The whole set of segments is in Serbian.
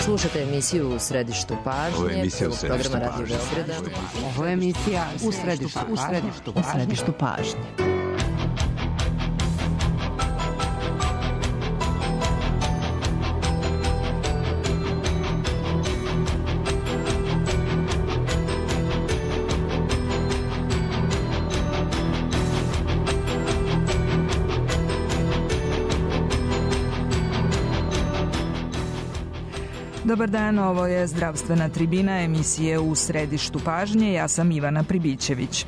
Slušate emisiju U središtu pažnje, programa Radio Beograda. Ovo je emisija U središtu pažnje. Dobar dan, ovo je Zdravstvena tribina emisije U središtu pažnje. Ja sam Ivana Pribićević.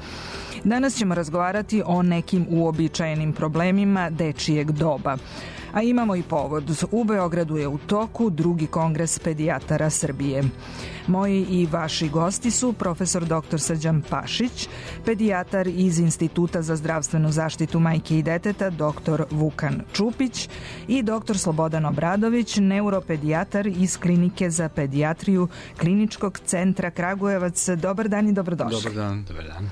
Danas ćemo razgovarati o nekim uobičajenim problemima dečijeg doba. A imamo i povod. U Beogradu je u toku drugi kongres pedijatara Srbije. Moji i vaši gosti su profesor dr. Srđan Pašić, pedijatar iz Instituta za zdravstvenu zaštitu majke i deteta dr. Vukan Čupić i dr. Slobodan Obradović, neuropedijatar iz Klinike za pedijatriju Kliničkog centra Kragujevac. Dobar dan i dobrodošli. Dobar dan. Dobar dan.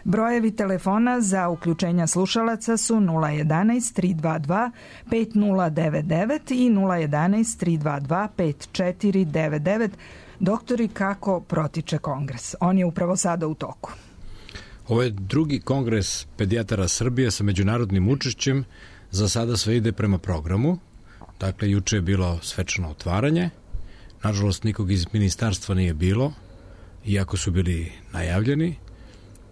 Brojevi telefona za uključenja slušalaca su 011 322 5099 i 011 322 5499. Doktori, kako protiče kongres? On je upravo sada u toku. Ovo je drugi kongres pedijatara Srbije sa međunarodnim učešćem. Za sada sve ide prema programu. Dakle, juče je bilo svečano otvaranje. Nažalost, nikog iz ministarstva nije bilo, iako su bili najavljeni.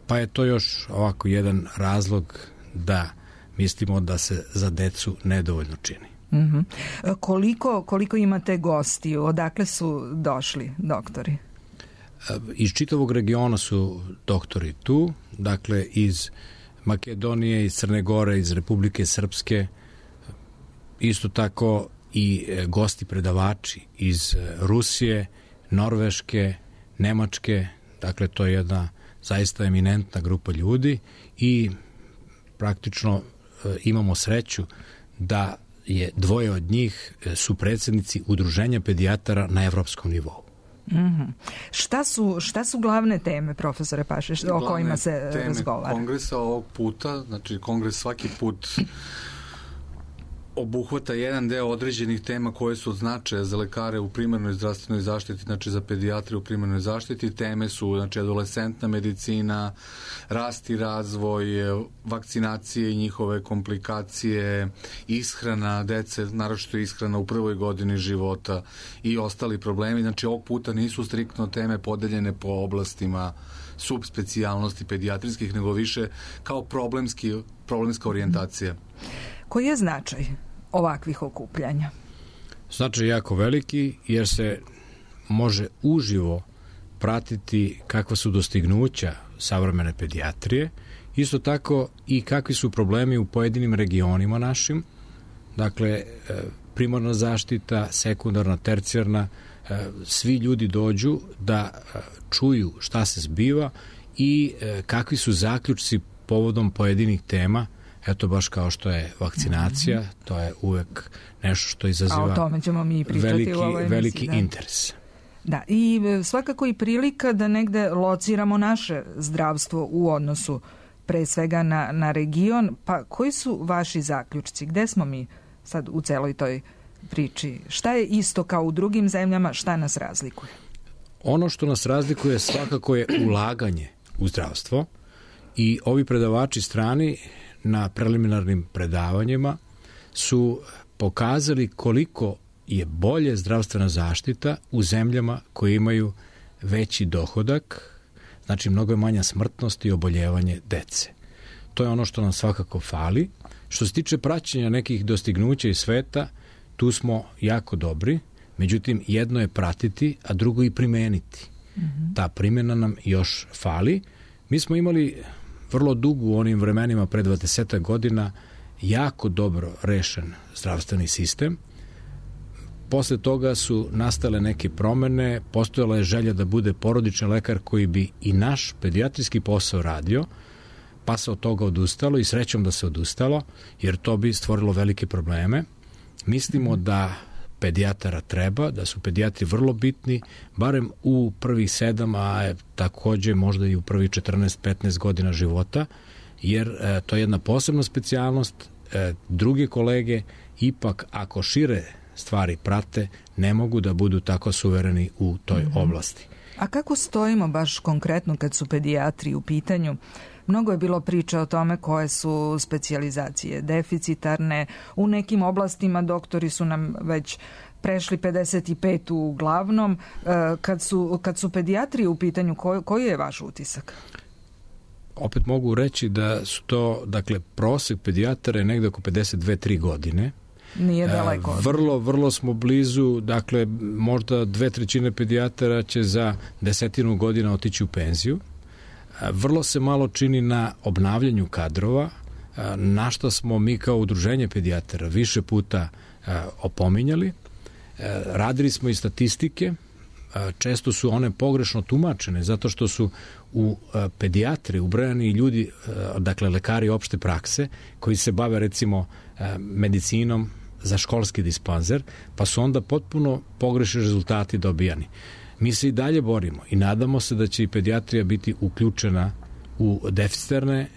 Pa je to još ovako jedan razlog da mislimo da se za decu nedovoljno čini. Mm-hmm. Koliko imate gostiju? Odakle su došli doktori? Iz čitavog regiona su doktori tu, dakle iz Makedonije, iz Crne Gore, iz Republike Srpske, isto tako i gosti predavači iz Rusije, Norveške, Nemačke, dakle to je jedna zaista eminentna grupa ljudi i praktično imamo sreću da je dvoje od njih su predsjednici udruženja pedijatara na evropskom nivou. Mm-hmm. Šta su glavne teme, profesore Pašić, o kojima se razgovara? Glavne kongresa ovog puta, znači kongres svaki put obuhvata jedan deo određenih tema koje su od značaja za lekare u primarnoj zdravstvenoj zaštiti, znači za pedijatre u primarnoj zaštiti. Teme su, znači, adolescentna medicina, rast i razvoj, vakcinacije i njihove komplikacije, ishrana dece, naročito ishrana u prvoj godini života i ostali problemi. Znači, ovog puta nisu striktno teme podeljene po oblastima subspecijalnosti pedijatrijskih, nego više kao problemska orijentacija. Koji je značaj ovakvih okupljanja? Značaj je jako veliki jer se može uživo pratiti kakva su dostignuća savremene pedijatrije, isto tako i kakvi su problemi u pojedinim regionima našim, dakle primarna zaštita, sekundarna, tercijarna, svi ljudi dođu da čuju šta se zbiva i kakvi su zaključci povodom pojedinih tema. Eto, baš kao što je vakcinacija, to je uvek nešto što izaziva o tome ćemo mi pričati u ovoj emisiji, veliki interes. Da, i svakako i prilika da negde lociramo naše zdravstvo u odnosu pre svega na region. Pa koji su vaši zaključci? Gde smo mi sad u celoj toj priči? Šta je isto kao u drugim zemljama? Šta nas razlikuje? Ono što nas razlikuje svakako je ulaganje u zdravstvo i ovi predavači strani na preliminarnim predavanjima su pokazali koliko je bolje zdravstvena zaštita u zemljama koje imaju veći dohodak, znači mnogo je manja smrtnost i oboljevanje dece. To je ono što nam svakako fali. Što se tiče praćenja nekih dostignuća iz sveta, tu smo jako dobri, međutim jedno je pratiti, a drugo i primeniti. Mm-hmm. Ta primjena nam još fali. Mi smo imali vrlo dugo u onim vremenima pre 20 godina jako dobro rešen zdravstveni sistem. Posle toga su nastale neke promene, postojala je želja da bude porodični lekar koji bi i naš pedijatrijski posao radio, pa se od toga odustalo i srećom da se odustalo, jer to bi stvorilo velike probleme. Mislimo da pedijatara treba, da su pedijatri vrlo bitni, barem u prvih 7, a takođe možda i u prvih 14-15 godina života, jer to je jedna posebna specijalnost. Druge kolege ipak ako šire stvari prate, ne mogu da budu tako suvereni u toj oblasti. A kako stojimo baš konkretno kad su pedijatri u pitanju? Mnogo je bilo priča o tome koje su specijalizacije deficitarne. U nekim oblastima doktori su nam već prešli 55 uglavnom. Kad su pedijatri u pitanju, koji je vaš utisak? Opet mogu reći da su to, dakle, prosek pedijatara je negde oko 52-3 godine. Nije daleko. Vrlo smo blizu, dakle, možda 2/3 pedijatara će za 10 godina otići u penziju. Vrlo se malo čini na obnavljanju kadrova, na što smo mi kao udruženje pedijatara više puta opominjali. Radili smo i statistike, često su one pogrešno tumačene, zato što su u pedijatri ubrojani ljudi, dakle lekari opšte prakse, koji se bave recimo medicinom za školski dispanzer, pa su onda potpuno pogrešni rezultati dobijani. Mi se i dalje borimo i nadamo se da će i pedijatrija biti uključena u deficitarne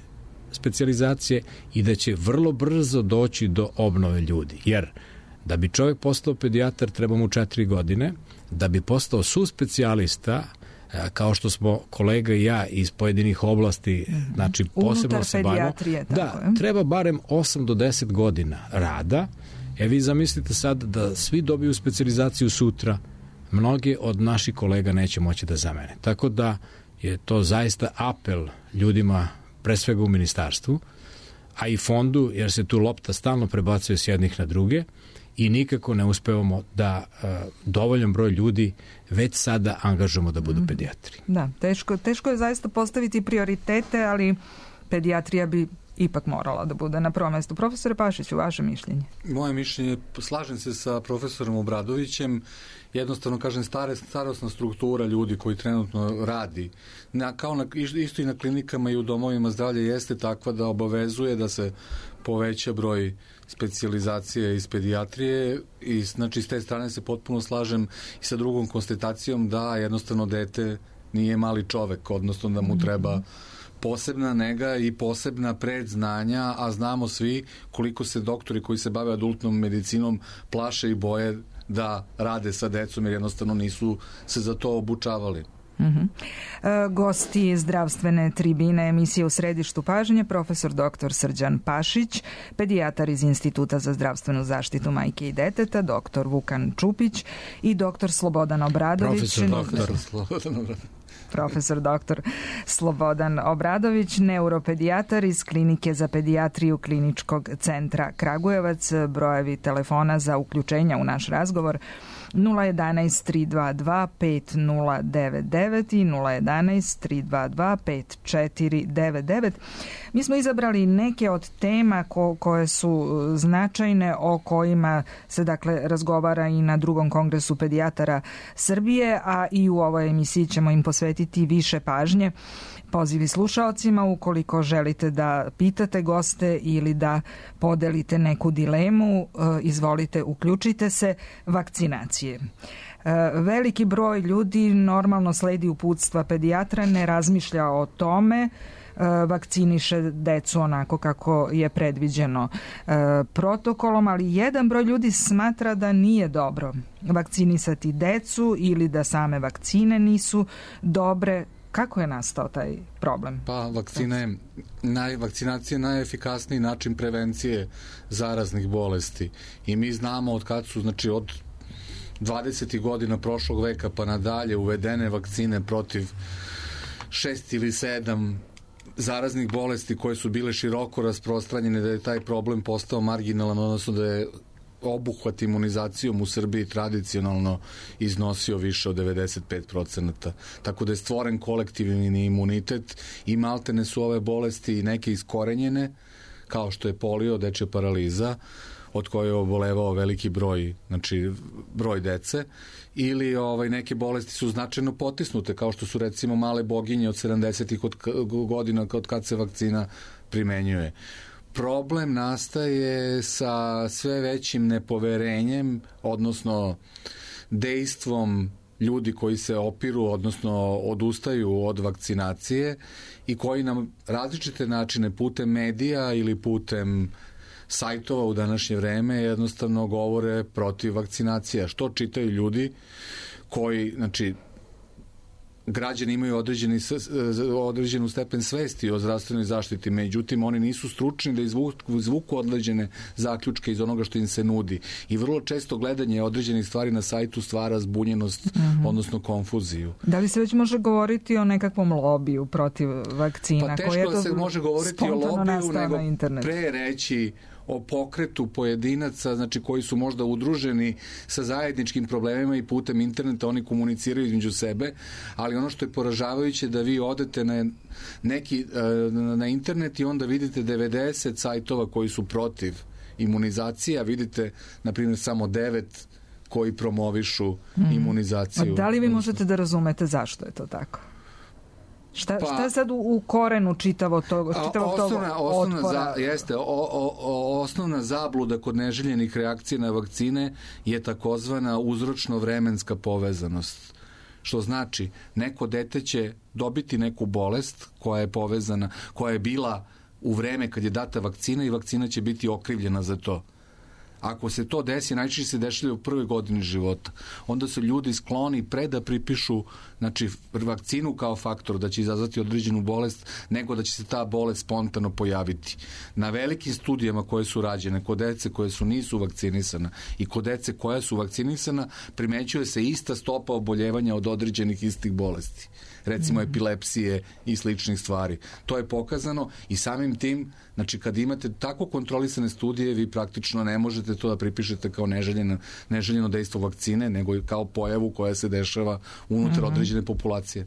specijalizacije i da će vrlo brzo doći do obnove ljudi. Jer da bi čovjek postao pedijatar treba mu 4 godine, da bi postao suspecijalista, kao što smo kolega i ja iz pojedinih oblasti, znači posebno se bavimo, treba barem 8 do 10 godina rada. Vi zamislite sad da svi dobiju specijalizaciju sutra, mnogi od naših kolega neće moći da zamene. Tako da je to zaista apel ljudima, pre svega u ministarstvu, a i fondu, jer se tu lopta stalno prebacuje s jednih na druge i nikako ne uspevamo da dovoljan broj ljudi već sada angažujemo da budu pedijatri. Da, teško je zaista postaviti prioritete, ali pedijatrija bi ipak morala da bude na prvom mestu. Profesore Pašiću, vaše mišljenje? Moje mišljenje, slažem se sa profesorom Obradovićem, jednostavno kažem starosna struktura ljudi koji trenutno radi, isto i na klinikama i u domovima zdravlja jeste takva da obavezuje da se poveća broj specijalizacije iz pedijatrije i znači s te strane se potpuno slažem i sa drugom konstatacijom da jednostavno dete nije mali čovek, odnosno da mu treba posebna nega i posebna predznanja, a znamo svi koliko se doktori koji se bave adultnom medicinom plaše i boje da rade sa decom jer jednostavno nisu se za to obučavali. Gosti zdravstvene tribine emisije U središtu pažnje, profesor dr. Srđan Pašić, pedijatar iz Instituta za zdravstvenu zaštitu majke i deteta, dr. Vukan Čupić i dr. Slobodan Obradović. Profesor dr. Slobodan Obradović, neuropedijatar iz Klinike za pedijatriju Kliničkog centra Kragujevac. Brojevi telefona za uključenja u naš razgovor 011 322 5099 i 011 322 5499. Mi smo izabrali neke od tema koje su značajne, o kojima se dakle razgovara i na drugom kongresu pedijatara Srbije, a i u ovoj emisiji ćemo im posvetiti više pažnje. Pozivi slušaocima, ukoliko želite da pitate goste ili da podelite neku dilemu, izvolite, uključite se. Vakcinacije. Veliki broj ljudi normalno sledi uputstva pedijatra, ne razmišlja o tome, vakciniše decu onako kako je predviđeno protokolom, ali jedan broj ljudi smatra da nije dobro vakcinisati decu ili da same vakcine nisu dobre. Kako je nastao taj problem? Pa vakcinacija je najefikasniji način prevencije zaraznih bolesti i mi znamo od kad su, znači od 20. godina prošlog veka pa nadalje uvedene vakcine protiv 6 ili 7 zaraznih bolesti koje su bile široko rasprostranjene, da je taj problem postao marginalan, odnosno da je obuhvat imunizacijom u Srbiji tradicionalno iznosio više od 95%. Tako da je stvoren kolektivni imunitet i maltene su ove bolesti neke iskorenjene, kao što je polio, dečja paraliza, od koje je obolevao veliki broj, znači broj dece, ili neke bolesti su značajno potisnute, kao što su recimo male boginje od 70-ih godina od kad se vakcina primenjuje. Problem nastaje sa sve većim nepoverenjem, odnosno dejstvom ljudi koji se opiru, odnosno odustaju od vakcinacije i koji nam različite načine putem medija ili putem sajtova u današnje vreme jednostavno govore protiv vakcinacija. Što čitaju ljudi koji, znači, građani imaju određenu stepen svesti o zdravstvenoj zaštiti, međutim oni nisu stručni da izvuku određene zaključke iz onoga što im se nudi. I vrlo često gledanje određenih stvari na sajtu stvara zbunjenost, odnosno konfuziju. Da li se već može govoriti o nekakvom lobiju protiv vakcina? Pa teško da se može govoriti o lobiju, nego pre reći o pokretu pojedinaca, znači koji su možda udruženi sa zajedničkim problemima i putem interneta oni komuniciraju između sebe, ali ono što je poražavajuće da vi odete na internet i onda vidite 90 sajtova koji su protiv imunizacije, a vidite, na primjer, samo 9 koji promovišu imunizaciju. A da li vi možete da razumete zašto je to tako? Šta je sad u korenu čitavog tog otpora? Osnovna zabluda kod neželjenih reakcija na vakcine je takozvana uzročno-vremenska povezanost. Što znači, neko dete će dobiti neku bolest koja je povezana, koja je bila u vreme kad je data vakcina i vakcina će biti okrivljena za to. Ako se to desi, najčešće se dešava u prvoj godini života. Onda su ljudi skloni pre da pripišu, znači, vakcinu kao faktor da će izazvati određenu bolest, nego da će se ta bolest spontano pojaviti. Na velikim studijama koje su rađene kod dece koje nisu vakcinisana i kod dece koja su vakcinisana, primećuje se ista stopa oboljevanja od određenih istih bolesti. Recimo epilepsije i sličnih stvari. To je pokazano i samim tim, znači, kad imate tako kontrolisane studije, vi praktično ne možete to da pripišete kao neželjeno dejstvo vakcine, nego kao pojavu koja se dešava unutar određene populacije.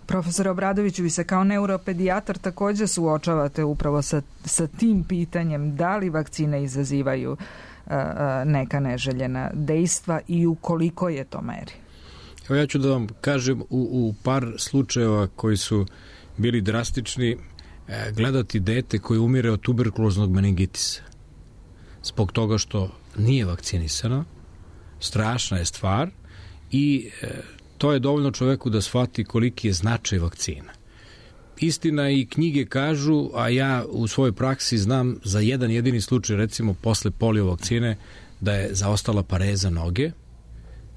Profesor Obradoviću, vi se kao neuropedijatar također suočavate upravo sa tim pitanjem da li vakcine izazivaju neka neželjena dejstva i u koliko je to meri? Evo ja ću da vam kažem u par slučajeva koji su bili drastični, gledati dete koje umire od tuberkuloznog meningitisa zbog toga što nije vakcinisano, strašna je stvar i to je dovoljno čoveku da shvati koliki je značaj vakcina. Istina i knjige kažu, a ja u svojoj praksi znam za jedan jedini slučaj, recimo posle polio vakcine, da je zaostala pareza noge,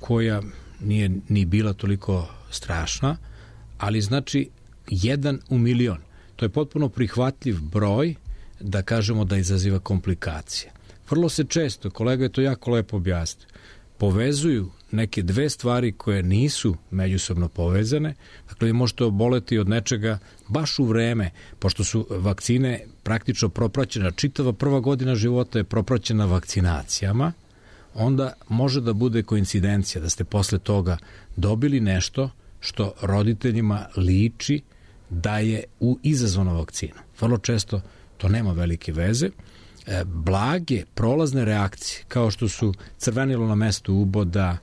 koja nije ni bila toliko strašna, ali znači 1 u milion. To je potpuno prihvatljiv broj da kažemo da izaziva komplikacije. Vrlo se često, kolega je to jako lepo objasnio, povezuju neke dve stvari koje nisu međusobno povezane. Dakle, vi možete oboleti od nečega baš u vreme, pošto su vakcine praktično propraćena, čitava prva godina života je propraćena vakcinacijama, onda može da bude koincidencija da ste posle toga dobili nešto što roditeljima liči da je izazvano vakcinom. Vrlo često to nema velike veze. Blage prolazne reakcije, kao što su crvenilo na mestu uboda,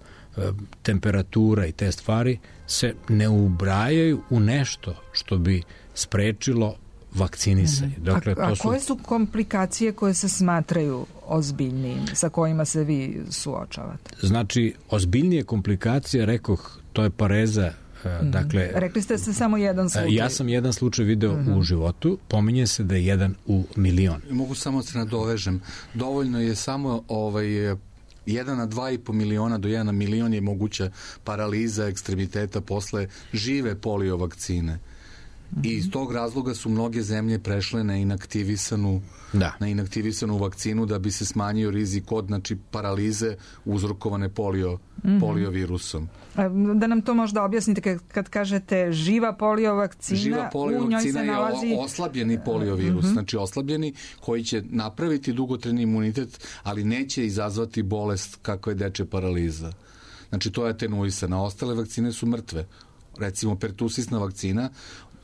temperatura i te stvari, se ne ubrajaju u nešto što bi sprečilo vakcinisanje. Dakle, a koje su komplikacije koje se smatraju ozbiljnijim, sa kojima se vi suočavate? Znači, ozbiljnije komplikacije, rekoh, to je pareza. Dakle, rekli ste se samo jedan slučaj. Ja sam jedan slučaj video u životu, pominje se da je 1 u milion. Mogu samo se nadovežem. Dovoljno je samo 1 na 2,5 miliona do 1 milion je moguća paraliza ekstremiteta posle žive polio vakcine. I iz tog razloga su mnoge zemlje prešle na inaktivisanu vakcinu da bi se smanjio rizik od, znači, paralize uzrokovane polio virusom. Da nam to možda objasnite kad kažete živa polio vakcina, u njoj se nalazi... je oslabljeni polio virus, znači oslabljeni koji će napraviti dugotrajni imunitet, ali neće izazvati bolest kakva je dečja paraliza. Znači, to je atenuisana. Ostale vakcine su mrtve. Recimo, pertusisna vakcina,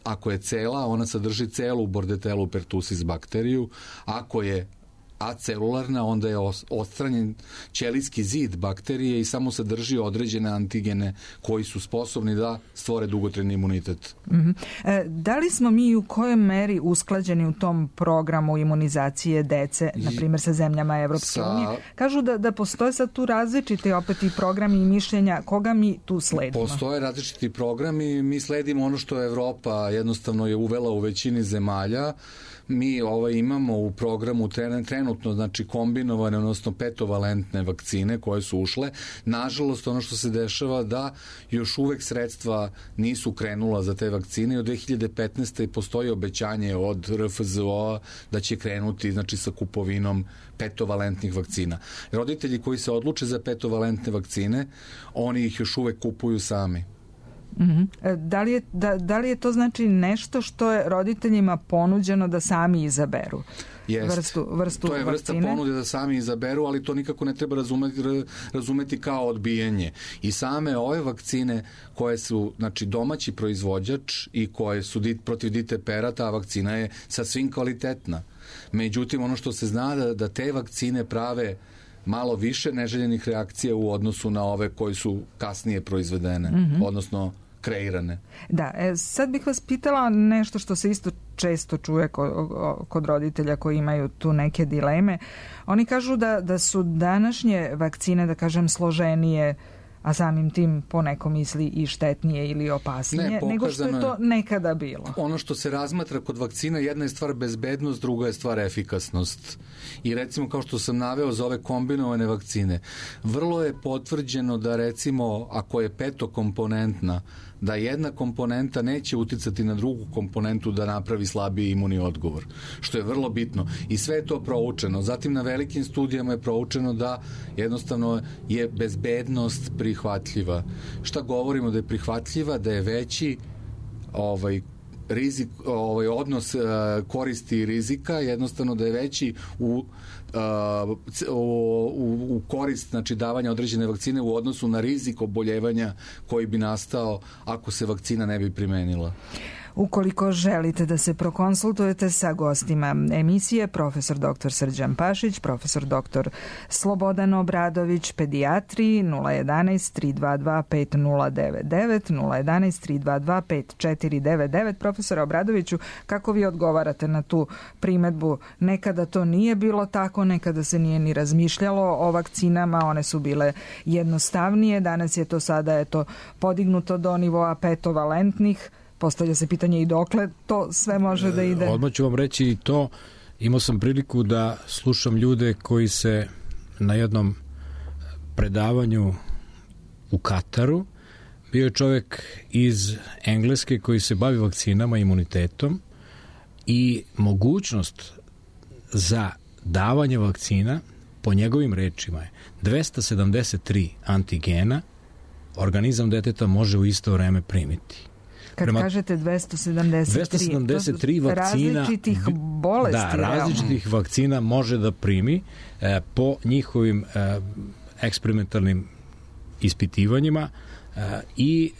ako je cela, ona sadrži celu Bordetelu pertussis bakteriju. Ako je acelularna, onda je odstranjen ćelijski zid bakterije i samo sadrži određene antigene koji su sposobni da stvore dugotrajni imunitet. Da li smo mi u kojoj meri usklađeni u tom programu imunizacije dece, na primjer sa zemljama Evropske unije? Kažu da postoje sad tu različiti opet i programi i mišljenja. Koga mi tu sledimo? Postoje različiti programi. Mi sledimo ono što Evropa jednostavno je uvela u većini zemalja. mi imamo u programu trenutno znači kombinovane, odnosno petovalentne vakcine koje su ušle. Nažalost, ono što se dešava da još uvek sredstva nisu krenula za te vakcine i od 2015. postoji obećanje od RFZO da će krenuti znači sa kupovinom petovalentnih vakcina. Roditelji koji se odluče za petovalentne vakcine, oni ih još uvek kupuju sami. Da li je to znači nešto što je roditeljima ponuđeno da sami izaberu? Vrstu to je vrsta vakcine? Ponude da sami izaberu, ali to nikako ne treba razumeti kao odbijanje. I same ove vakcine koje su znači domaći proizvođač i koje su protiv ditepera, ta vakcina je sasvim kvalitetna. Međutim, ono što se zna da te vakcine prave malo više neželjenih reakcija u odnosu na ove koji su kasnije proizvedene, odnosno kreirane. Da, sad bih vas pitala nešto što se isto često čuje kod roditelja koji imaju tu neke dileme. Oni kažu da su današnje vakcine, da kažem, složenije, a samim tim po neko misli i štetnije ili opasnije, nego što je to nekada bilo. Ono što se razmatra kod vakcina, jedna je stvar bezbednost, druga je stvar efikasnost. I recimo, kao što sam naveo za ove kombinovane vakcine, vrlo je potvrđeno da recimo, ako je petokomponentna, da jedna komponenta neće uticati na drugu komponentu da napravi slabiji imunni odgovor, što je vrlo bitno. I sve je to proučeno. Zatim na velikim studijama je proučeno da jednostavno je bezbednost prihvatljiva. Šta govorimo da je prihvatljiva? Da je veći rizik, odnos koristi i rizika, jednostavno da je veći u korist znači davanja određene vakcine u odnosu na rizik oboljevanja koji bi nastao ako se vakcina ne bi primenila. Ukoliko želite da se prokonsultujete sa gostima emisije, profesor dr. Srđan Pašić, profesor dr. Slobodan Obradović, pedijatri, 011 322 5099, 011 322 5499. Profesor Obradoviću, kako vi odgovarate na tu primedbu? Nekada to nije bilo tako, nekada se nije ni razmišljalo o vakcinama, one su bile jednostavnije, danas je to sada podignuto do nivoa petovalentnih. Postavlja se pitanje i dokle to sve može da ide. Odmah ću vam reći i to. Imao sam priliku da slušam ljude koji se na jednom predavanju u Kataru, bio je čovjek iz Engleske koji se bavi vakcinama i imunitetom i mogućnost za davanje vakcina po njegovim rečima je 273 antigena organizam deteta može u isto vreme primiti. Kad kažete 273 vakcina, različitih bolesti. Da, različitih vakcina može da primi po njihovim eksperimentalnim ispitivanjima i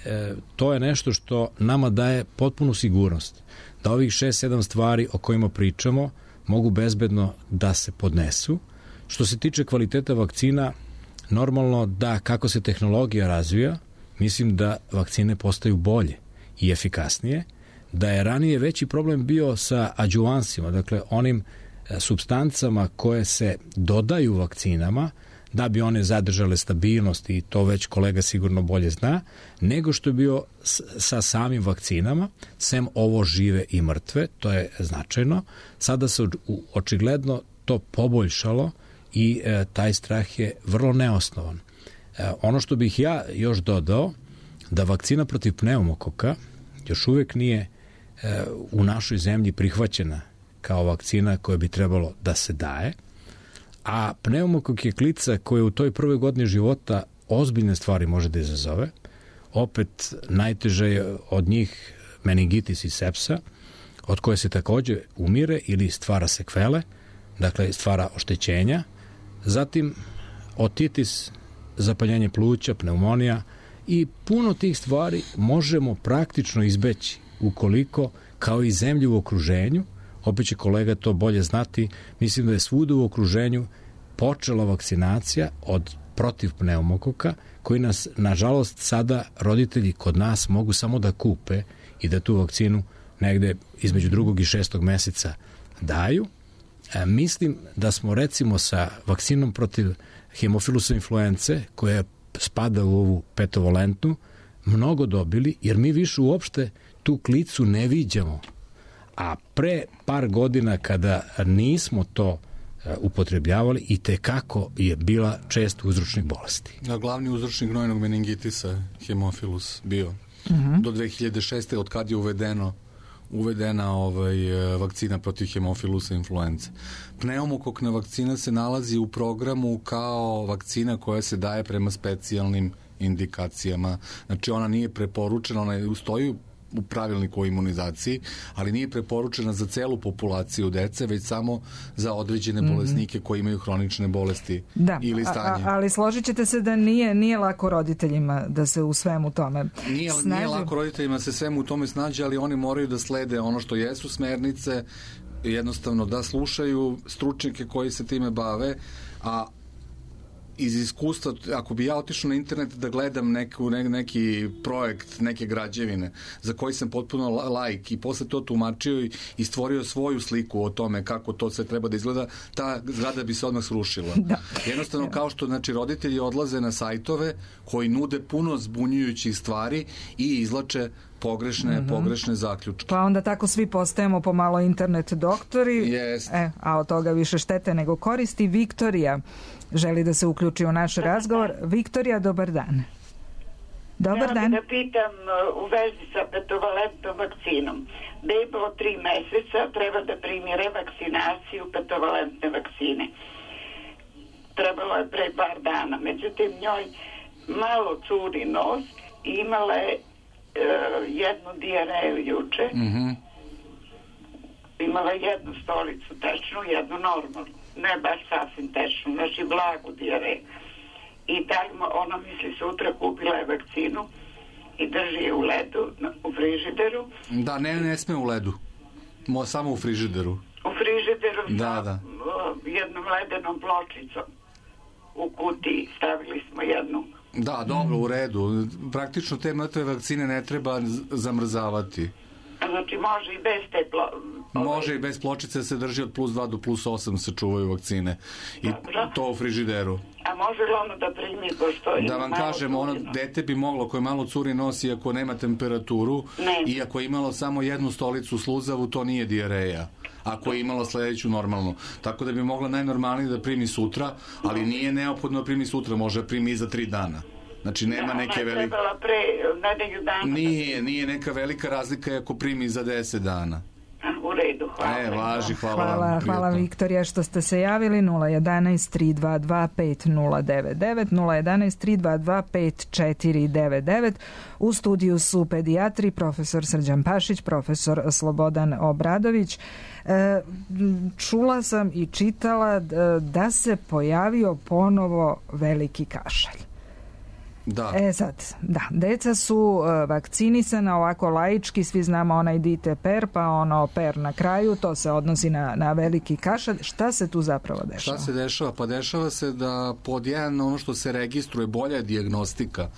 to je nešto što nama daje potpunu sigurnost da ovih 6-7 stvari o kojima pričamo mogu bezbedno da se podnesu. Što se tiče kvaliteta vakcina, normalno da kako se tehnologija razvija, mislim da vakcine postaju bolje i efikasnije, da je ranije veći problem bio sa adjuvansima, dakle onim supstancama koje se dodaju vakcinama da bi one zadržale stabilnost i to već kolega sigurno bolje zna, nego što je bio sa samim vakcinama, sem ovo žive i mrtve, to je značajno. Sada se očigledno to poboljšalo i taj strah je vrlo neosnovan. Ono što bih ja još dodao, da vakcina protiv pneumokoka još uvijek nije u našoj zemlji prihvaćena kao vakcina koja bi trebalo da se daje, a pneumokok je klica koja u toj prvoj godini života ozbiljne stvari može da izazove. Opet najteže je od njih meningitis i sepsa, od koje se također umire ili stvara sekvele, dakle stvara oštećenja, zatim otitis, zapaljenje pluća, pneumonija i puno tih stvari možemo praktično izbeći ukoliko, kao i zemlje u okruženju, opet će kolega to bolje znati, mislim da je svuda u okruženju počela vakcinacija protiv pneumokoka, koji nas, nažalost, sada roditelji kod nas mogu samo da kupe i da tu vakcinu negde između 2. i 6. meseca daju. Mislim da smo recimo sa vakcinom protiv hemofilusa influence, koja spada u ovu petovalentnu, mnogo dobili, jer mi više uopšte tu klicu ne viđamo. a pre par godina kada nismo to upotrebljavali i tekako je bila čest uzročnik bolesti. Glavni uzročnik gnojnog meningitisa hemofilus bio. Do 2006. od kad je uvedena vakcina protiv hemofilusa influence. Pneumokokna vakcina se nalazi u programu kao vakcina koja se daje prema specijalnim indikacijama. Znači ona nije preporučena, ona stoji u pravilniku o imunizaciji, ali nije preporučena za celu populaciju dece, već samo za određene bolesnike koji imaju hronične bolesti ili stanje. Ali složit ćete se da nije lako roditeljima da se u svemu tome snađe. Nije lako roditeljima se svemu u tome snađe, ali oni moraju da slede ono što jesu smernice, jednostavno da slušaju stručnjake koji se time bave, a iz iskustva, ako bi ja otišao na internet da gledam neki projekt, neke građevine za koji sam potpuno laik i posle to tumačio i stvorio svoju sliku o tome kako to sve treba da izgleda, ta zgrada bi se odmah srušila. Jednostavno kao što roditelji odlaze na sajtove koji nude puno zbunjujućih stvari i izlače pogrešne zaključke. Pa onda tako svi postajemo pomalo internet doktori, a od toga više štete nego koristi. Viktorija želi da se uključi u naš razgovor. Viktorija, dobar dan. Dobar dan. Da pitam u vezi sa petovalentnom vakcinom. Beba od 3 meseca treba da primi revakcinaciju petovalentne vakcine. Trebalo je pre par dana. Međutim, njoj malo curi nos i imala je jednu dijareju juče. Imala jednu stolicu tečnu, jednu normalnu. Ne baš sasvim tečnu, znači blagu dijareju. I tako ona misli sutra kupila je vakcinu i drži je u ledu, u frižideru. Da, ne sme u ledu. Samo u frižideru. U frižideru sa jednom ledenom pločicom. U kutiji stavili smo jednu. Da, dobro, u redu. Praktično te mrtve vakcine ne treba zamrzavati. Znači može i bez te Može i bez pločice, se drži od +2 do +8 se čuvaju vakcine. I to u frižideru. A može li ono da primi pošto... Da vam kažem, dete bi moglo, koje malo curi nos i ako nema temperaturu, i ako je imalo samo jednu stolicu sluzavu, to nije dijareja. Ako je imalo sledeću normalnu. Tako da bi mogla najnormalnije da primi sutra, ali nije neophodno da primi sutra, može da primi i za 3 dana. Znači nema neke velike... Ona je trebala pre nedelju dana. Nije neka velika razlika ako primi za 10 dana. U redu, hvala. Važi, hvala. Hvala Viktorija što ste se javili. 011-322-5099, 011-322-5499. U studiju su pedijatri, profesor Srđan Pašić, profesor Slobodan Obradović. Čula sam i čitala da se pojavio ponovo veliki kašalj. Da. Deca su vakcinisana ovako laički, svi znamo onaj dite per, pa ono per na kraju, to se odnosi na veliki kašalj. Šta se tu zapravo dešava? Šta se dešava? Pa dešava se da pod jedan ono što se registruje, bolja dijagnostika,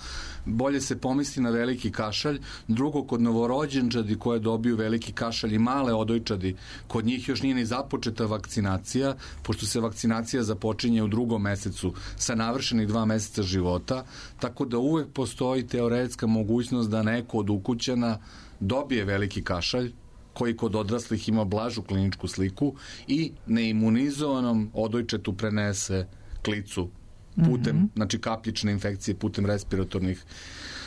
bolje se pomisli na veliki kašalj. Drugo, kod novorođenčadi koje dobiju veliki kašalj i male odojčadi, kod njih još nije ni započeta vakcinacija, pošto se vakcinacija započinje u 2. mesecu sa navršenih 2 meseca života, tako da uvek postoji teoretska mogućnost da neko od ukućana dobije veliki kašalj, koji kod odraslih ima blažu kliničku sliku i neimunizovanom odojčetu prenese klicu putem, znači kapljične infekcije putem respiratornih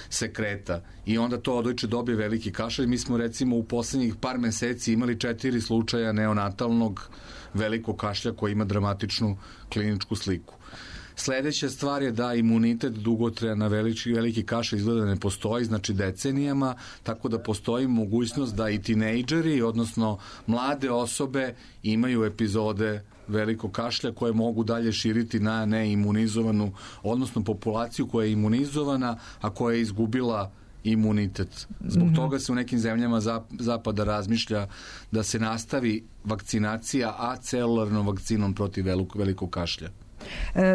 sekreta i onda to odojče dobije veliki kašalj. Mi smo recimo u poslednjih par meseci imali 4 slučaja neonatalnog velikog kašlja koji ima dramatičnu kliničku sliku. Sledeća stvar je da imunitet dugotrajan na veliki kašalj izgleda ne postoji, znači decenijama, tako da postoji mogućnost da i tinejdžeri, odnosno mlade osobe imaju epizode velikog kašlja koje mogu dalje širiti na neimunizovanu, odnosno populaciju koja je imunizovana, a koja je izgubila imunitet. Zbog toga se u nekim zemljama zapada razmišlja da se nastavi vakcinacija acelularnom vakcinom protiv velikog kašlja.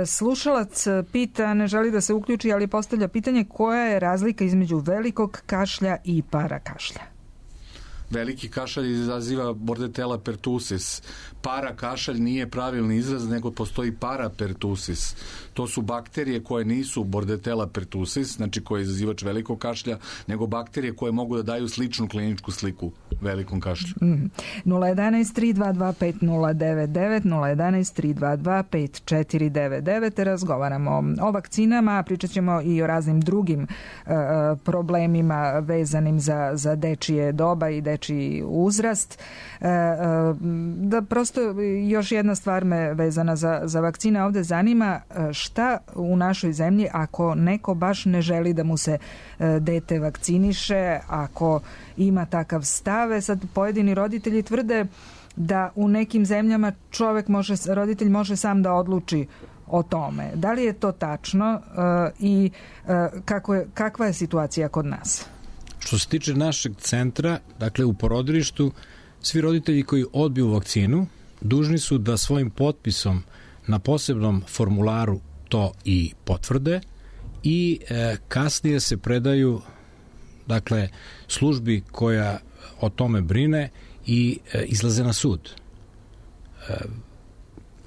Slušalac pita, ne želi da se uključi, ali postavlja pitanje koja je razlika između velikog kašlja i parakašlja? veliki kašalj izaziva Bordetella pertussis. Para kašalj nije pravilni izraz, nego postoji para pertussis. To su bakterije koje nisu Bordetella pertussis, znači koje je izazivač velikog kašlja, nego bakterije koje mogu da daju sličnu kliničku sliku velikom kašlju. 011-322-5099, 011-322-5499. Razgovaramo o vakcinama, pričat ćemo i o raznim drugim problemima vezanim za dečije doba i dečiji uzrast. Da prosto još jedna stvar me vezana za vakcine ovde zanima, šta u našoj zemlji ako neko baš ne želi da mu se dete vakciniše, ako ima takav stave. Sad pojedini roditelji tvrde da u nekim zemljama roditelj može sam da odluči o tome. Da li je to tačno i kakva je situacija kod nas? Što se tiče našeg centra, dakle u porodilištu, svi roditelji koji odbiju vakcinu dužni su da svojim potpisom na posebnom formularu to i potvrde i kasnije se predaju dakle službi koja o tome brine i izlaze na sud.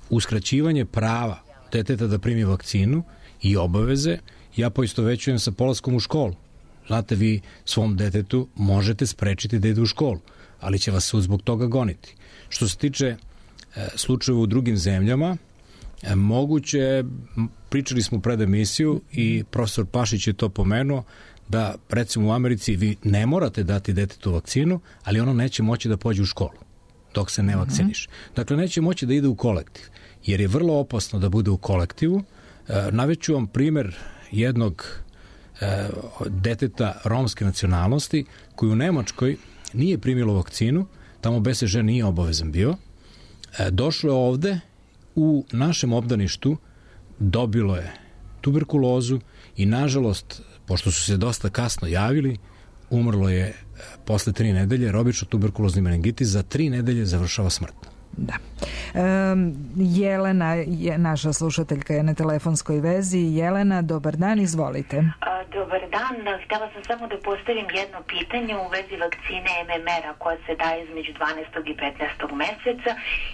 Uskraćivanje prava deteta da primi vakcinu i obaveze ja poistovećujem sa polaskom u školu. Znate, vi svom detetu možete sprečiti da ide u školu, ali će vas sud zbog toga goniti. Što se tiče slučajeva u drugim zemljama, moguće, pričali smo pred emisiju i profesor Pašić je to pomenuo, da recimo u Americi vi ne morate dati detetu vakcinu, ali ono neće moći da pođe u školu dok se ne vakciniše. Dakle, neće moći da ide u kolektiv, jer je vrlo opasno da bude u kolektivu. Naveću vam primer jednog deteta romske nacionalnosti koji u Nemačkoj nije primilo vakcinu, tamo BCG nije obavezan bio, došlo je ovde, u našem obdaništu dobilo je tuberkulozu i nažalost, pošto su se dosta kasno javili, umrlo je posle 3 nedelje, obično tuberkulozni meningitis za 3 nedelje završava smrtno. Da. Jelena je naša slušateljka, je na telefonskoj vezi. Jelena, dobar dan, izvolite. Dobar dan, htjela sam samo da postavim jedno pitanje u vezi vakcine MMR-a koja se daje između 12. i 15. meseca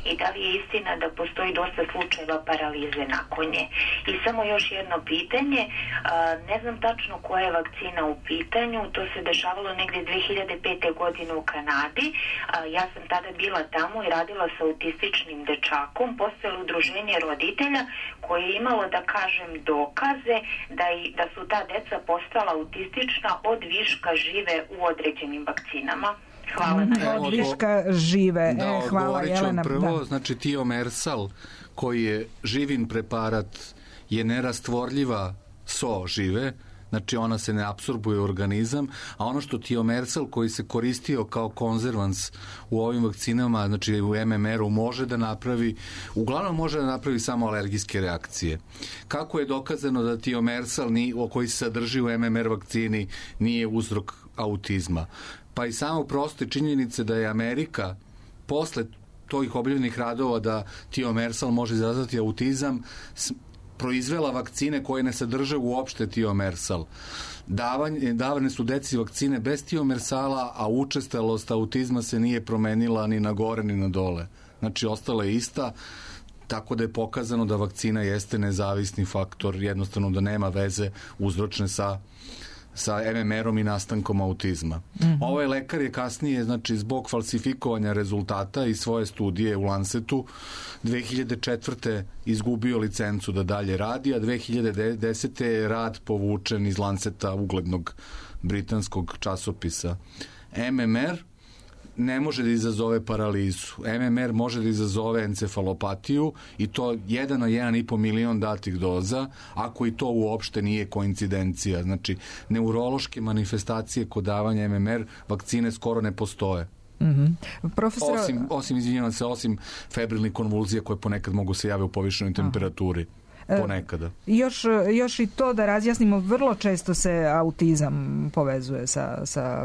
i da li je istina da postoji dosta slučajeva paralize nakon nje. I samo još jedno pitanje, ne znam tačno koja je vakcina u pitanju, to se dešavalo negdje 2005. godine u Kanadi, ja sam tada bila tamo i radila sa autističnim dečakom, postojalo udruženje roditelja koje je imalo, da kažem, dokaze da su ta deca postala autistična od viška žive u određenim vakcinama. Hvala na od viška žive. Hvala, Jelena. Prvo, znači tiomersal, koji je živin preparat, je nerastvorljiva so žive, znači ona se ne apsorbuje u organizam, a ono što tiomersal koji se koristio kao konzervans u ovim vakcinama, znači u MMR-u, može da napravi, uglavnom može da napravi samo alergijske reakcije. Kako je dokazano da tiomersal koji se sadrži u MMR vakcini nije uzrok autizma? Pa i samo proste činjenice da je Amerika posle tih objavljenih radova da tiomersal može izazvati autizam proizvela vakcine koje ne sadrže uopšte tiomersal. Davane su deci vakcine bez tiomersala, a učestalost autizma se nije promenila ni na gore ni na dole. Znači, ostala je ista, tako da je pokazano da vakcina jeste nezavisni faktor, jednostavno da nema veze uzročne sa MMR-om i nastankom autizma. Ovaj lekar je kasnije, znači, zbog falsifikovanja rezultata i svoje studije u Lancetu 2004. izgubio licencu da dalje radi, a 2010. je rad povučen iz Lanceta, uglednog britanskog časopisa. MMR ne može da izazove paralizu. MMR može da izazove encefalopatiju i to 1 na 1,5 milion datih doza, ako i to uopšte nije koincidencija. Znači, neurološke manifestacije kod davanja MMR vakcine skoro ne postoje. Profesor... Osim febrilnih konvulzija koje ponekad mogu se javiti u povišenoj temperaturi. Ponekada. Još i to da razjasnimo, vrlo često se autizam povezuje sa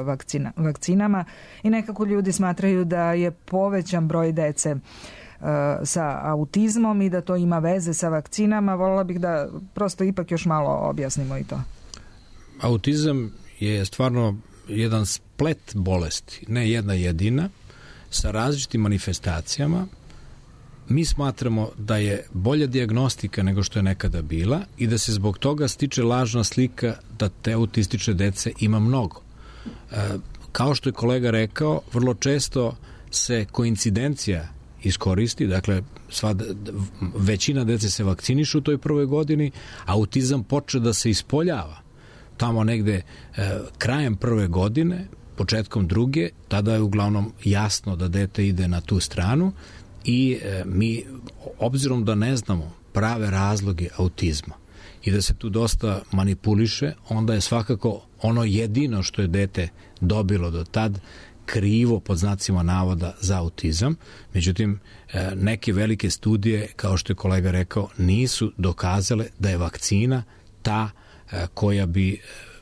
vakcinama i nekako ljudi smatraju da je povećan broj dece sa autizmom i da to ima veze sa vakcinama. Voljela bih da prosto ipak još malo objasnimo i to. Autizam je stvarno jedan splet bolesti, ne jedna jedina, sa različitim manifestacijama. Mi smatramo da je bolja dijagnostika nego što je nekada bila i da se zbog toga stiče lažna slika da te autistične dece ima mnogo. Kao što je kolega rekao, vrlo često se koincidencija iskoristi, dakle većina dece se vakcinišu u toj prvoj godini, autizam počne da se ispoljava tamo negde krajem prve godine, početkom druge, tada je uglavnom jasno da dete ide na tu stranu i mi, obzirom da ne znamo prave razloge autizma i da se tu dosta manipuliše, onda je svakako ono jedino što je dete dobilo do tad krivo pod znacima navoda za autizam. Međutim, neke velike studije, kao što je kolega rekao, nisu dokazale da je vakcina ta koja bi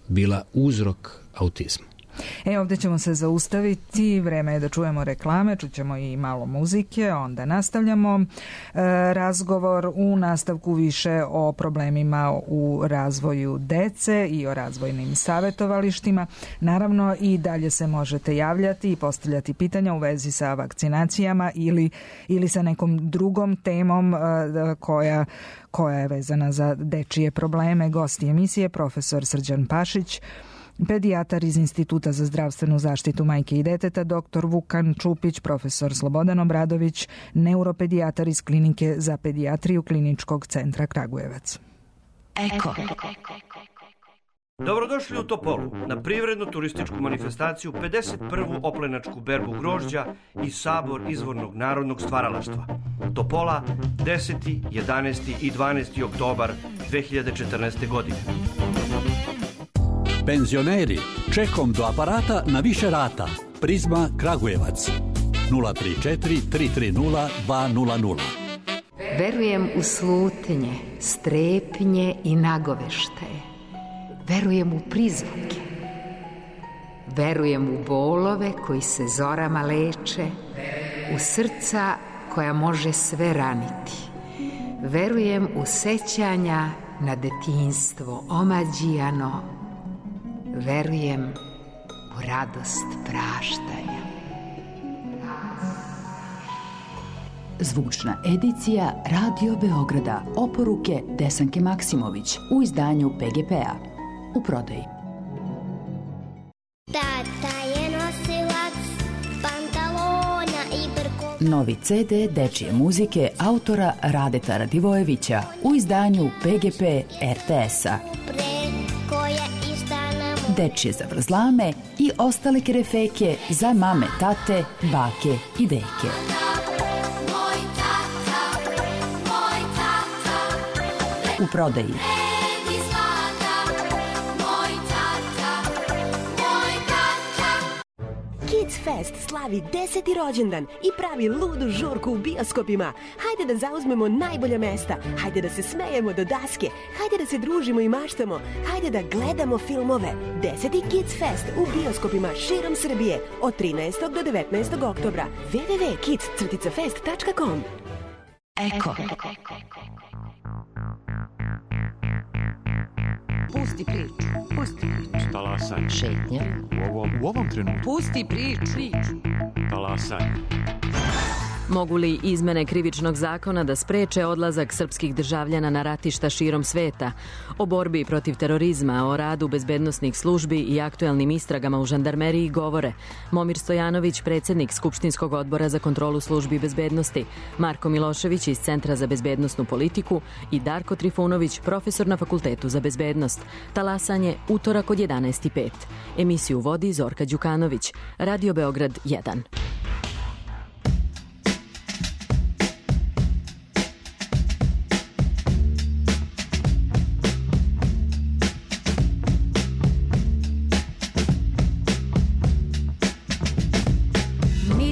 bila uzrok autizma. Ovdje ćemo se zaustaviti, vreme je da čujemo reklame, čućemo i malo muzike, onda nastavljamo razgovor. U nastavku više o problemima u razvoju dece i o razvojnim savjetovalištima. Naravno i dalje se možete javljati i postavljati pitanja u vezi sa vakcinacijama ili sa nekom drugom temom koja je vezana za dečije probleme. Gosti emisije profesor Srđan Pašić, pedijatar iz Instituta za zdravstvenu zaštitu majke i deteta, dr. Vukan Čupić, profesor Slobodan Obradović, neuropedijatar iz Klinike za pedijatriju Kliničkog centra Kragujevac. Eko. Dobrodošli u Topolu na privrednu turističku manifestaciju 51. oplenačku berbu grožđa i sabor izvornog narodnog stvaralaštva. Topola 10., 11. i 12. oktobar 2014. godine. Penzioneri, čekom do aparata na više rata. Prizma Kragujevac 034 330 200. Verujem u slutnje, strepnje i nagoveštaje. Verujem u prizvuke. Verujem u bolove koji se zorama leče, u srca koja može sve raniti. Verujem u sećanja na detinjstvo omađijano. Verujem u radost praštanja. Zvučna edicija Radio Beograda. Oporuke Desanke Maksimović u izdanju PGP-a. U prodaji. Tata je nosilac pantalona i brkova. Novi CD dečije muzike autora Radeta Radivojevića u izdanju PGP RTS-a. Dečije zavrzlame i ostale kerefeke za mame, tate, bake i deke. U prodaji. Kids Fest slavi 10. rođendan i pravi ludu žurku u bioskopima. Hajde da zauzmemo najbolja mesta, hajde da se smejemo do daske, hajde da se družimo i maštamo, hajde da gledamo filmove. 10. Kids Fest u bioskopima širom Srbije od 13. do 19. oktobra. www.kids-fest.com. Eko. Pusti priču. Talasanje. Šetnja. U ovom trenutku. Pusti priču. Talasanje. Mogu li izmene krivičnog zakona da spreče odlazak srpskih državljana na ratišta širom sveta? O borbi protiv terorizma, o radu bezbednosnih službi i aktuelnim istragama u žandarmeriji govore Momir Stojanović, predsjednik Skupštinskog odbora za kontrolu službi bezbednosti, Marko Milošević iz Centra za bezbednosnu politiku i Darko Trifunović, profesor na Fakultetu za bezbednost. Talasanje, utorak od 11:05. Emisiju vodi Zorka Đukanović. Radio Beograd 1. Me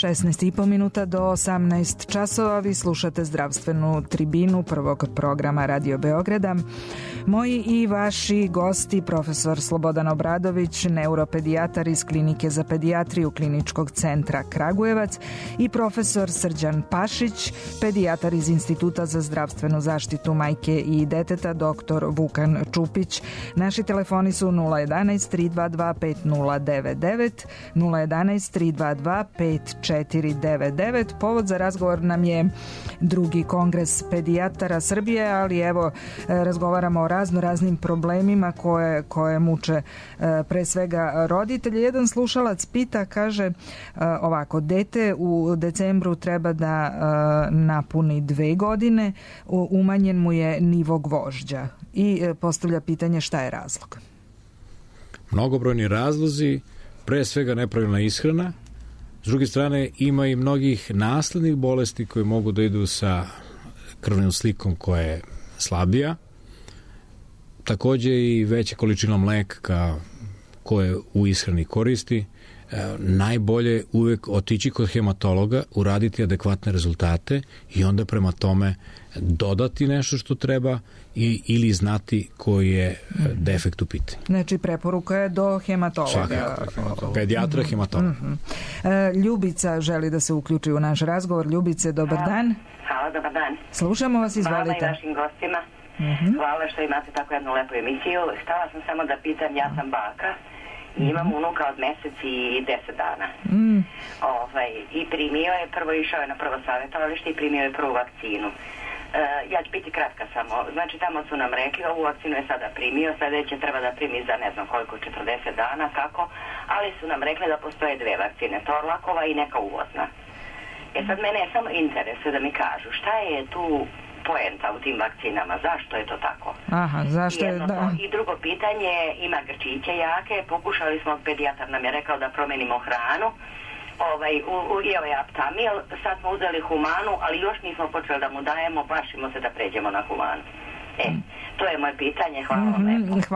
16,5 minuta do 18 časova. Vi slušate zdravstvenu tribinu prvog programa Radio Beograda. Moji i vaši gosti, profesor Slobodan Obradović, neuropedijatar iz Klinike za pedijatriju Kliničkog centra Kragujevac i profesor Srđan Pašić, pedijatar iz Instituta za zdravstvenu zaštitu majke i deteta, dr. Vukan Čupić. Naši telefoni su 011 322 5099, 011 322 5499. Povod za razgovor nam je drugi kongres pedijatara Srbije, ali evo razgovaramo o raznim problemima koje muče pre svega roditelji. Jedan slušalac pita, kaže ovako, dete u decembru treba da napuni 2 godine, umanjen mu je nivo gvožđa i postavlja pitanje šta je razlog. Mnogobrojni razlozi, pre svega nepravilna ishrana. S druge strane, ima i mnogih naslednih bolesti koje mogu da idu sa krvnom slikom koja je slabija. Takođe i veća količina mleka koje u ishrani koristi. Najbolje uvek otići kod hematologa, uraditi adekvatne rezultate i onda prema tome dodati nešto što treba ili znati koji je defekt u pitanju. Znači, preporuka je do hematologa. Pedijatra, hematologa. Ljubica želi da se uključi u naš razgovor. Ljubice, dobar dan. Hvala, dobar dan. Slušamo vas, izvolite. Hvala i vašim gostima. Hvala što imate tako jednu lepu emisiju. Htela sam samo da pitam, ja sam baka i imam unuka od mesec i 10 dana. I primio je, prvo išao je na prvo savjetovalište i primio je prvu vakcinu. Ja ću biti kratka samo. Znači, tamo su nam rekli, ovu vakcinu je sada primio, sledeće treba da primi za ne znam koliko, 40 dana, kako, ali su nam rekli da postoje 2 vakcine, Torlakova i neka uvozna. Sad mene je samo interesuje da mi kažu šta je tu poenta u tim vakcinama, zašto je to tako? Aha, zašto je, da. I drugo pitanje, ima grčiće jake, pokušali smo, pedijatar nam je rekao da promenimo hranu, jeo je Aptamil, sad smo uzeli humanu, ali još nismo počeli da mu dajemo, plašimo se da pređemo na humanu. To je moje pitanje, hvala vam lepo.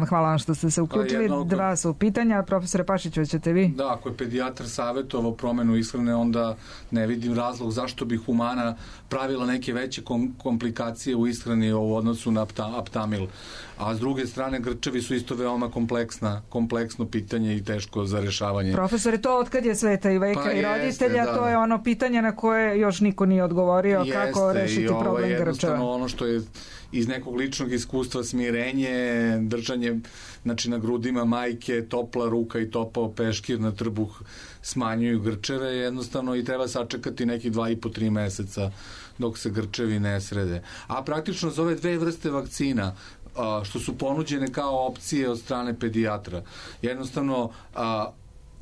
Hvala vam što ste se uključili. 2 su pitanja, profesore Pašiću, ćete vi? Da, ako je pedijatar savjetovao promenu ishrane, onda ne vidim razlog zašto bi humana pravila neke veće komplikacije u ishrani u odnosu na Aptamil. A s druge strane, grčevi su isto veoma kompleksno pitanje i teško za rešavanje. Profesore, to otkad je sveta i veka i roditelja, to je ono pitanje na koje još niko nije odgovorio, kako rešiti problem grčeva. Jednostavno ono što je iz nekog ličnog iskustva, smirenje, držanje na grudima majke, topla ruka i topao peškir na trbuh smanjuju grčeve jednostavno i treba sačekati nekih 2,5-3 meseca dok se grčevi ne srede. A praktično za ove 2 vrste vakcina što su ponuđene kao opcije od strane pedijatra, jednostavno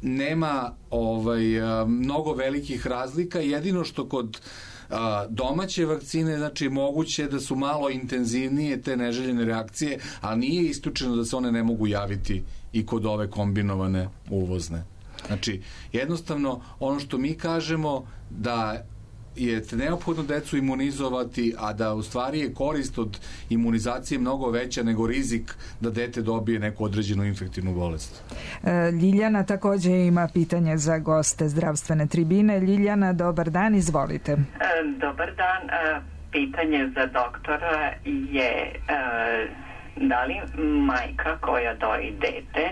nema mnogo velikih razlika, jedino što kod domaće vakcine, znači moguće da su malo intenzivnije te neželjene reakcije, ali nije isključeno da se one ne mogu javiti i kod ove kombinovane uvozne. Znači, jednostavno ono što mi kažemo da je neophodno decu imunizovati, a da u stvari je korist od imunizacije mnogo veća nego rizik da dete dobije neku određenu infektivnu bolest. Ljiljana takođe ima pitanje za goste zdravstvene tribine. Ljiljana, dobar dan, izvolite. Dobar dan. Pitanje za doktora je da li majka koja doji dete,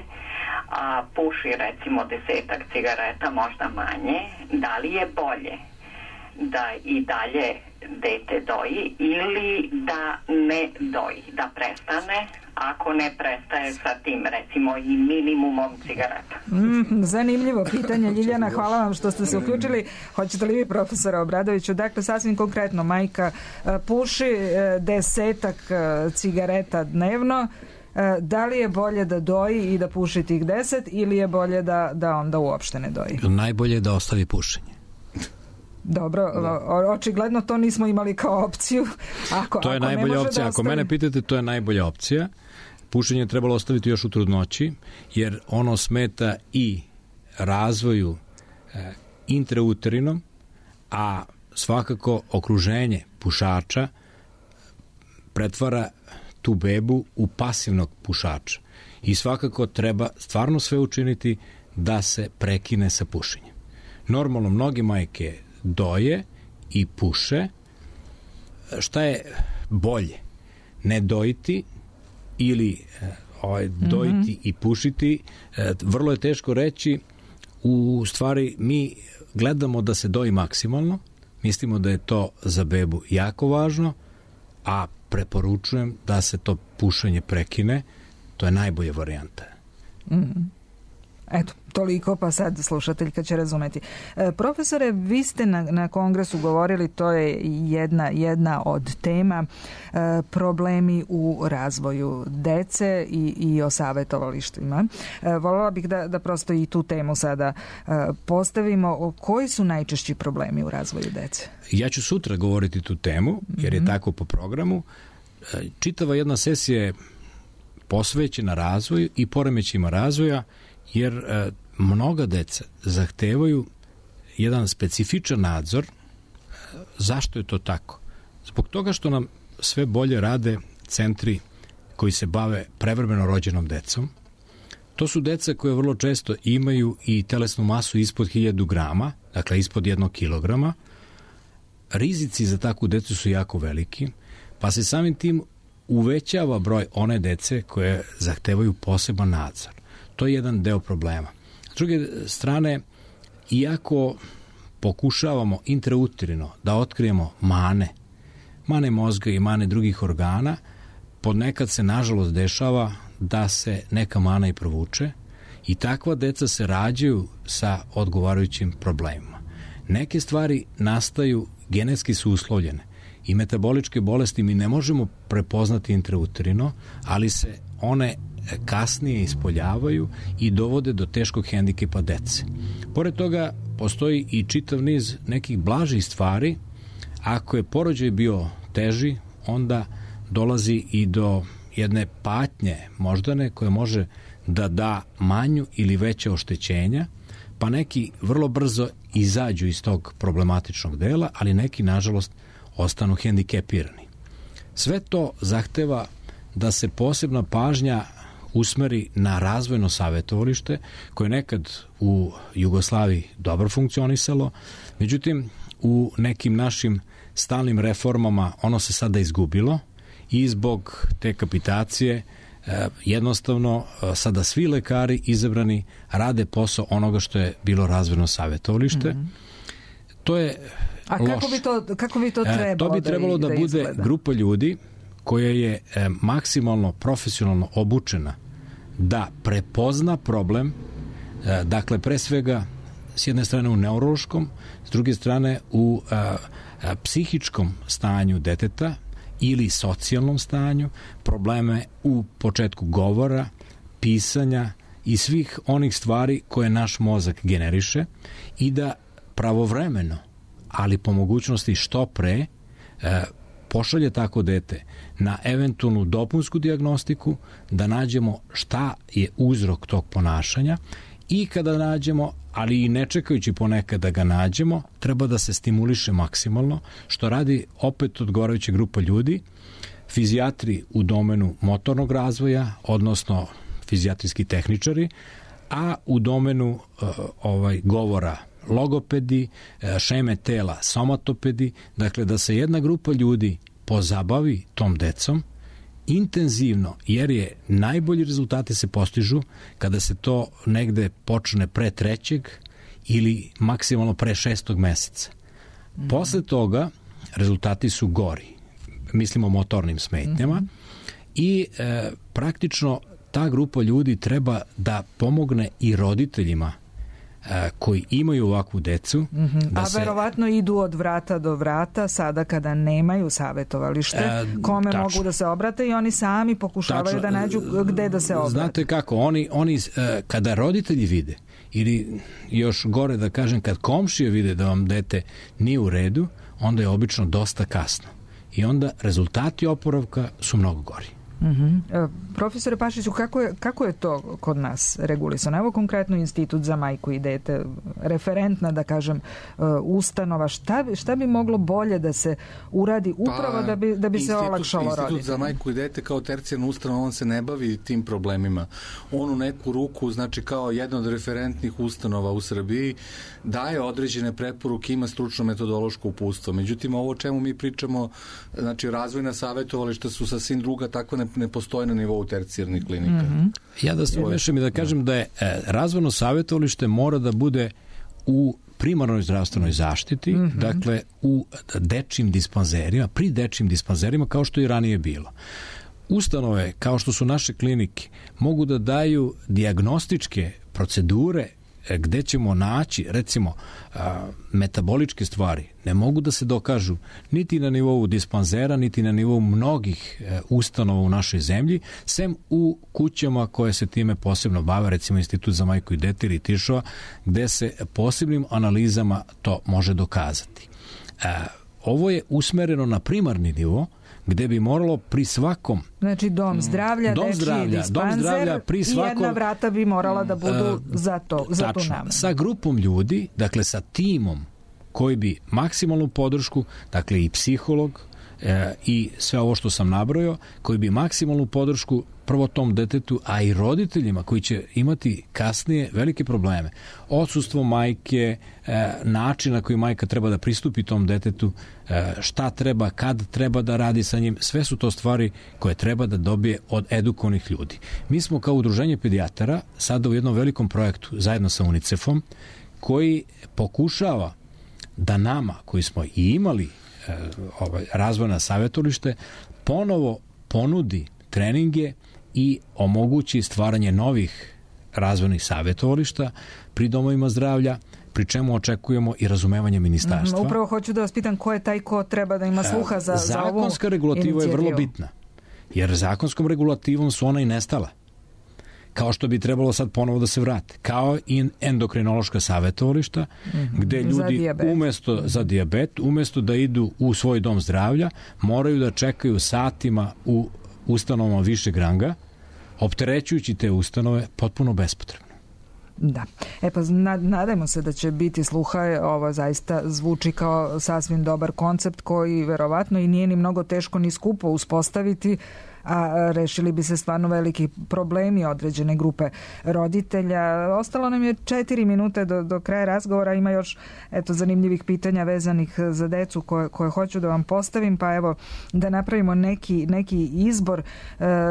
a puši recimo 10 cigareta, možda manje, da li je bolje da i dalje dete doji ili da ne doji, da prestane, ako ne prestaje sa tim recimo i minimumom cigareta. Zanimljivo pitanje, Ljiljana, hvala vam što ste se uključili. Hoćete li vi, profesora Obradoviću? Dakle, sasvim konkretno, majka puši 10 cigareta dnevno, da li je bolje da doji i da puši tih 10 ili je bolje da onda uopšte ne doji? Najbolje je da ostavi pušenje. Dobro, očigledno to nismo imali kao opciju. To je najbolja opcija. Ako mene pitate, to je najbolja opcija. Pušenje je trebalo ostaviti još u trudnoći, jer ono smeta i razvoju intrauterinom, a svakako okruženje pušača pretvara tu bebu u pasivnog pušača. I svakako treba stvarno sve učiniti da se prekine sa pušenjem. Normalno, mnoge majke doje i puše. Šta je bolje? Ne dojiti ili dojiti i pušiti? Vrlo je teško reći. U stvari, mi gledamo da se doji maksimalno. Mislimo da je to za bebu jako važno, a preporučujem da se to pušenje prekine. To je najbolja varijanta. Eto, toliko, pa sad slušateljka će razumeti. Profesore, vi ste na kongresu govorili, to je jedna od tema, problemi u razvoju dece i o savjetovalištima. Voljela bih da prosto i tu temu sada postavimo. Koji su najčešći problemi u razvoju dece? Ja ću sutra govoriti tu temu, jer je tako po programu. Čitava jedna sesija je posvećena razvoju i poremećima razvoja, jer mnoga deca zahtevaju jedan specifičan nadzor. Zašto je to tako? Zbog toga što nam sve bolje rade centri koji se bave prevremeno rođenom decom. To su deca koje vrlo često imaju i telesnu masu ispod 1000 grama, dakle ispod 1 kilograma. Rizici za takvu decu su jako veliki, pa se samim tim uvećava broj one dece koje zahtevaju poseban nadzor. To je jedan deo problema. S druge strane, iako pokušavamo intrauterino da otkrijemo mane mozga i mane drugih organa, ponekad se nažalost dešava da se neka mana i provuče i takva deca se rađaju sa odgovarajućim problemima. Neke stvari nastaju, genetski su uslovljene i metaboličke bolesti mi ne možemo prepoznati intrauterino, ali se one kasnije ispoljavaju i dovode do teškog hendikepa dece. Pored toga, postoji i čitav niz nekih blažih stvari. Ako je porođaj bio teži, onda dolazi i do jedne patnje moždane koja može da da manju ili veće oštećenja, pa neki vrlo brzo izađu iz tog problematičnog dela, ali neki, nažalost, ostanu hendikepirani. Sve to zahteva da se posebna pažnja usmeri na razvojno savjetovalište, koje nekad u Jugoslaviji dobro funkcionisalo, međutim u nekim našim stalnim reformama ono se sada izgubilo i zbog te kapitacije jednostavno sada svi lekari izabrani rade posao onoga što je bilo razvojno savjetovalište. To je loše. Kako bi to trebalo? To bi trebalo da bude izgleda? Grupa ljudi koja je maksimalno profesionalno obučena da prepozna problem, dakle pre svega s jedne strane u neurološkom, s druge strane u psihičkom stanju deteta ili socijalnom stanju, probleme u početku govora, pisanja i svih onih stvari koje naš mozak generiše i da pravovremeno, ali po mogućnosti što pre, pošalje tako dete na eventualnu dopunsku dijagnostiku, da nađemo šta je uzrok tog ponašanja i kada nađemo, ali i ne čekajući ponekad da ga nađemo, treba da se stimuliše maksimalno, što radi opet odgovarajuća grupa ljudi, fizijatri u domenu motornog razvoja, odnosno fizijatrijski tehničari, a u domenu govora logopedi, šeme tela, somatopedi, dakle da se jedna grupa ljudi pozabavi tom decom intenzivno, jer je najbolji rezultati se postižu kada se to negde počne pre 3. ili maksimalno pre 6. meseca. Posle toga rezultati su gori. Mislimo o motornim smetnjama i praktično ta grupa ljudi treba da pomogne i roditeljima koji imaju ovakvu decu. Verovatno idu od vrata do vrata sada kada nemaju savjetovalište, kome mogu da se obrate i oni sami pokušavaju da nađu gde da se obrate. Znate kako, oni kada roditelji vide, ili još gore da kažem, kad komšije vide da vam dete nije u redu, onda je obično dosta kasno. I onda rezultati oporavka su mnogo gori. Profesore Pašiću, kako je to kod nas regulisano? Evo konkretno Institut za majku i dete, referentna, da kažem, ustanova. Šta bi moglo bolje da se uradi upravo da bi se olakšalo roditeljima? Institut za majku i dete kao tercijarna ustanova, on se ne bavi tim problemima. On u neku ruku, znači kao jedna od referentnih ustanova u Srbiji, daje određene preporuke, ima stručno metodološko uputstvo. Međutim, ovo o čemu mi pričamo, znači razvojna savjetovališta su sasvim druga, takva ne postoje na nivou tercijarnih klinika. Ja da se umešam i da kažem da je razvojno savjetovalište mora da bude u primarnoj zdravstvenoj zaštiti, dakle u dečjim dispanzerima, pri dečjim dispanzerima, kao što i ranije bilo. Ustanove, kao što su naše klinike, mogu da daju dijagnostičke procedure gde ćemo naći, recimo, metaboličke stvari. Ne mogu da se dokažu niti na nivou dispanzera, niti na nivou mnogih ustanova u našoj zemlji, sem u kućama koje se time posebno bave, recimo Institut za majku i dete ili Tiršova, gde se posebnim analizama to može dokazati. Ovo je usmereno na primarni nivo, gde bi moralo pri svakom... Znači dom zdravlja, dečiji dispanzer pri svakom, i jedna vrata bi morala da budu za tu namenu. Sa grupom ljudi, dakle sa timom koji bi maksimalnu podršku, dakle i psiholog i sve ovo što sam nabrojao, koji bi maksimalnu podršku prvo tom detetu, a i roditeljima koji će imati kasnije velike probleme. Odsustvo majke, način na koji majka treba da pristupi tom detetu, šta treba, kad treba da radi sa njim, sve su to stvari koje treba da dobije od edukovanih ljudi. Mi smo kao udruženje pedijatara sada u jednom velikom projektu zajedno sa UNICEF-om koji pokušava da nama, koji smo i imali razvojna savjetovalište, ponovo ponudi treninge i omogući stvaranje novih razvojnih savjetovališta pri domovima zdravlja, pri čemu očekujemo i razumevanje ministarstva. Upravo hoću da vas pitam ko je taj ko treba da ima sluha za ovu inicijativu. Zakonska regulativa je vrlo bitna, jer zakonskom regulativom su ona i nestala. Kao što bi trebalo sad ponovo da se vrate. Kao i endokrinološka savjetovališta, gde ljudi za dijabet, umesto da idu u svoj dom zdravlja, moraju da čekaju satima u ustanovama višeg ranga, opterećujući te ustanove potpuno bespotrebno. Da. Pa nadajmo se da će biti sluha. Ovo zaista zvuči kao sasvim dobar koncept koji verovatno i nije ni mnogo teško ni skupo uspostaviti, a rešili bi se stvarno veliki problemi određene grupe roditelja. Ostalo nam je 4 minute do kraja razgovora. Ima još zanimljivih pitanja vezanih za decu koje hoću da vam postavim, pa evo da napravimo neki izbor.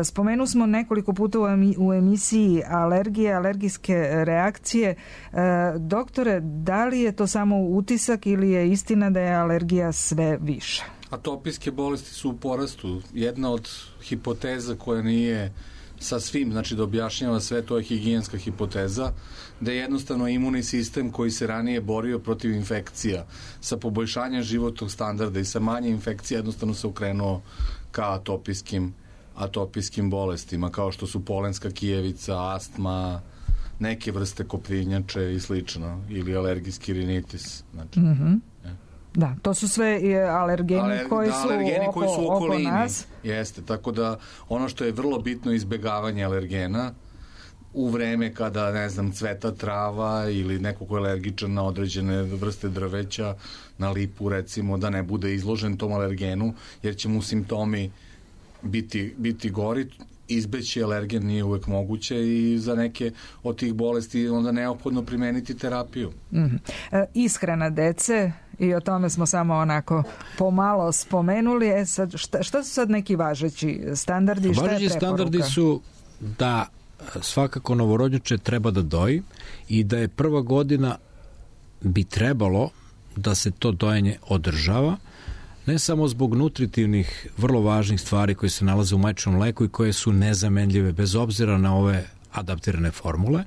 Spomenu smo nekoliko puta u emisiji alergije, alergijske reakcije. Doktore, da li je to samo utisak ili je istina da je alergija sve više? Atopijske bolesti su u porastu. Jedna od hipoteza koja nije sa svim, znači da objašnjava sve, to je higijenska hipoteza, da je jednostavno imunni sistem koji se ranije borio protiv infekcija sa poboljšanjem životnog standarda i sa manje infekcija jednostavno se okrenuo ka atopijskim bolestima, kao što su polenska kijevica, astma, neke vrste koprinjače i slično, ili alergijski rinitis. Znači, Da, to su sve alergeni koji su oko nas. Jeste, tako da ono što je vrlo bitno je izbegavanje alergena u vreme kada, ne znam, cveta trava ili neko ko je alergičan na određene vrste drveća, na lipu recimo, da ne bude izložen tom alergenu, jer će mu simptomi biti gori. Izbeći alergen nije uvek moguće i za neke od tih bolesti onda neophodno primeniti terapiju. Ishrana dece, i o tome smo samo onako pomalo spomenuli. Sad, šta su sad neki važeći standardi? Važeći standardi su da svakako novorođenče treba da doji i da je prva godina bi trebalo da se to dojenje održava, ne samo zbog nutritivnih, vrlo važnih stvari koje se nalaze u majčinom mleku i koje su nezamenljive bez obzira na ove adaptirane formule,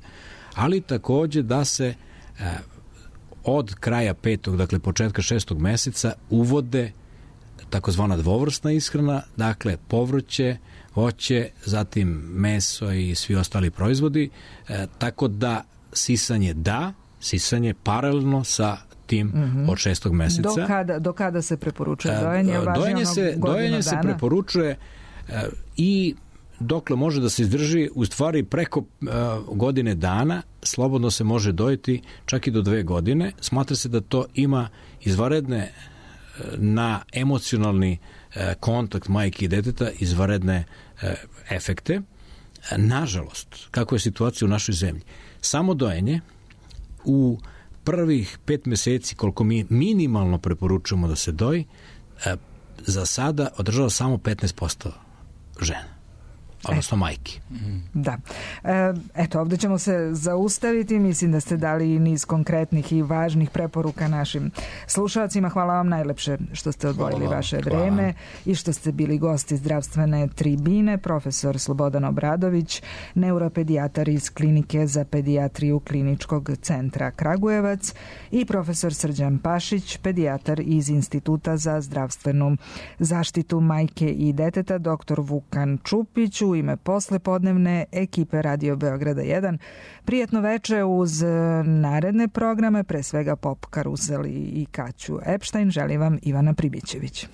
ali takođe da se od kraja 5. dakle početka 6. meseca uvode takozvana dvovrstna ishrana, dakle povrće, voće, zatim meso i svi ostali proizvodi, tako da sisanje paralelno sa tim od 6. meseca. Do kada se preporučuje dojenje? Dojenje se preporučuje i dokle može da se izdrži, u stvari preko godine dana slobodno se može dojiti čak i do 2 godine. Smatra se da to ima izvanredne na emocionalni kontakt majke i deteta, izvanredne efekte. Nažalost, kako je situacija u našoj zemlji, samo dojenje u prvih 5 meseci, koliko mi minimalno preporučujemo da se doji, za sada održava samo 15% žena, odnosno majki. Da. Eto, ovdje ćemo se zaustaviti. Mislim da ste dali niz konkretnih i važnih preporuka našim slušalcima. Hvala vam najlepše što ste odvojili vaše vreme i što ste bili gosti zdravstvene tribine. Profesor Slobodan Obradović, neuropedijatar iz Klinike za pedijatriju Kliničkog centra Kragujevac i profesor Srđan Pašić, pedijatar iz Instituta za zdravstvenu zaštitu majke i deteta, dr. Vukan Čupić, u ime poslepodnevne ekipe Radio Beograda 1. Prijetno veče uz naredne programe, pre svega Pop Karusel i Kaću Epstein. Želim vam Ivana Pribićević.